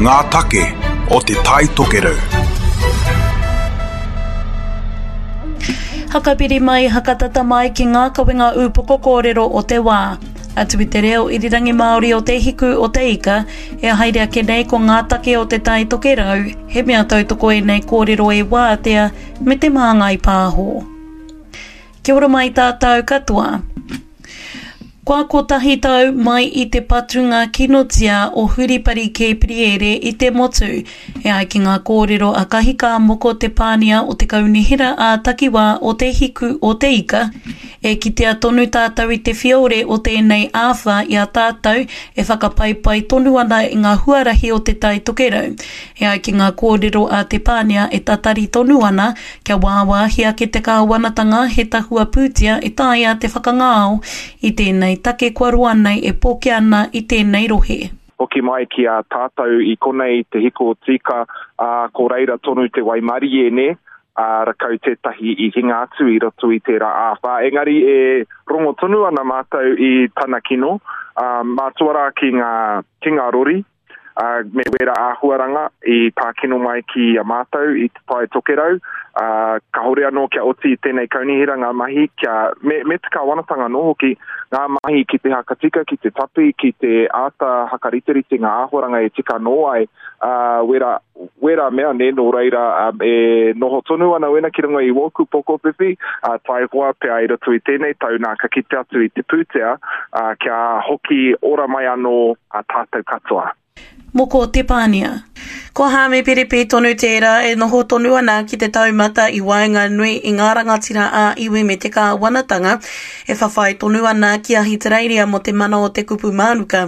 Ngā take o Te Tai Tokerau. Hakapiri mai, hakatata mai ki ngā kawenga ūpoko kōrero o te wā. Atu i te reo irirangi Māori o Te Hiku o Te Ika, e haere ake nei ko ngā take o Te Tai Tokerau, he mea tautoko ēnei kōrero e Wātea me Te Māngai Pāho. Kia ora mai tātou katoa. Kua kotahi tau mai i te patunga kinotia o Huripari Kēpiriere i te motu, e ai ki ngā kōrero a Kahika Moko Te Pānia o te Kaunihera ā-Takiwā o Te Hiku o Te Ika, e kitea tonu tātou i te whiore o tēnei āwhā i a tātou e whakapaipai tonu ana i ngā huarahi o Te Tai Tokerau. E ai ki ngā kōrero a Te Pānia e tatari tonu ana Kia wāwāhi ake te kāwanatanga he tahua pūtea e taea te whakangao i tēnei take kua roa nei e pokea ana i tēnei rohe. Hoki mai ki a tātou i konei i te hiko o Tīka, ā, ko reira tonu te waimarie, nē, ā, rakau tētahi i hinga atu i roto i tērā āwhā. Engari e rongo tonu ana mātou i tana kino, ā, mātua rā ki ngā, ki ngā rori, ā, me wērā āhuaranga i pā kino mai ki a mātou i Te Tai Tokerau, ā, kāore anō kia oti i tēnei kaunihera ngā mahi kia, me, me te kāwanatanga anō hoki, ngā mahi ki te hakatika, ki te tapi, ki te āta hakariterite ngā āhuaranga e tika anō ai, ā, wērā, wērā mea, nē, nō reira, um, e noho tonu ana wena ki runga i wōku pokowhiwhi, ā, taihoa pea i roto i tēnei tau nā ka kite atu i te pūtea, ā, kia hoki ora mai anō a tātou katoa. Moko Te Pānia. Ko Haami Piripi tonu tērā e noho tonu ana ki te taumata i waenganui i ngā rangatira ā-iwi me te kāwanatanga e whawhai tonu ana ki Ahitereiria mō te mana o te kupu mānuka.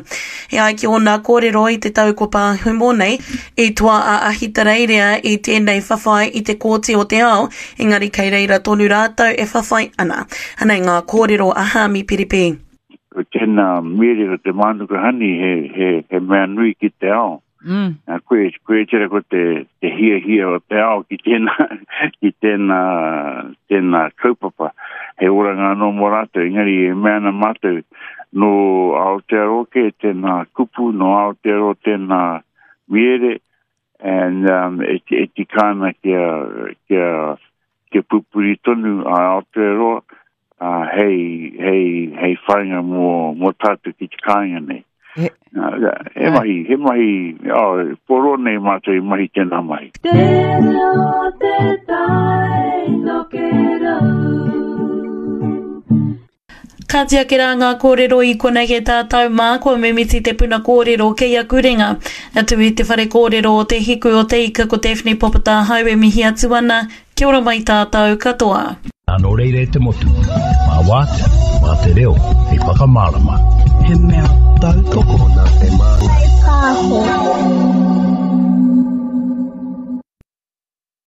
E ai ki ōna kōrero i te tau ko pāhumo nei, i toa a Ahitereiria i tēnei whawhai i te Kōti o te Ao, engari kei reira tonu rātou e whawhai ana. Anei ngā kōrero a Haami Piripi. Ko tēnā miere ko te mānuka hani he, he, he mea nui ki te ao. Mm. Nā, koe, koe tera ko te, te hiahia o te ao ki tēnā, ki tēnā, tēnā kaupapa. He oranga anō mō rātou, engari e mea ana mātou, nō Aotearoa kē tēnā kupu, nō Aotearoa tēnā miere, and um, e, e tika ana kia, kia, kia pupuri tonu a Aotearoa, ā, hei, hei, hei whainga mō, mō tātou ki te kāinga nei. He, he mahi, he mahi, oh, poro nei mātou i mahi tēnā mahi. Te reo te tai tokerau. Ka ake rā ngā kōrero i konei e tātou mā, kua mimiti te puna kōrero kei aku ringa. Atu i te whare kōrero o Te Hiku o Te Ika ko Daphne Popotāhau e mihi atu ana, Kia ora mai tātou katoa. Nā nō reira e te motu, mā Wātea, mā te reo hei whakamārama. He mea tautoko. Nā te mā.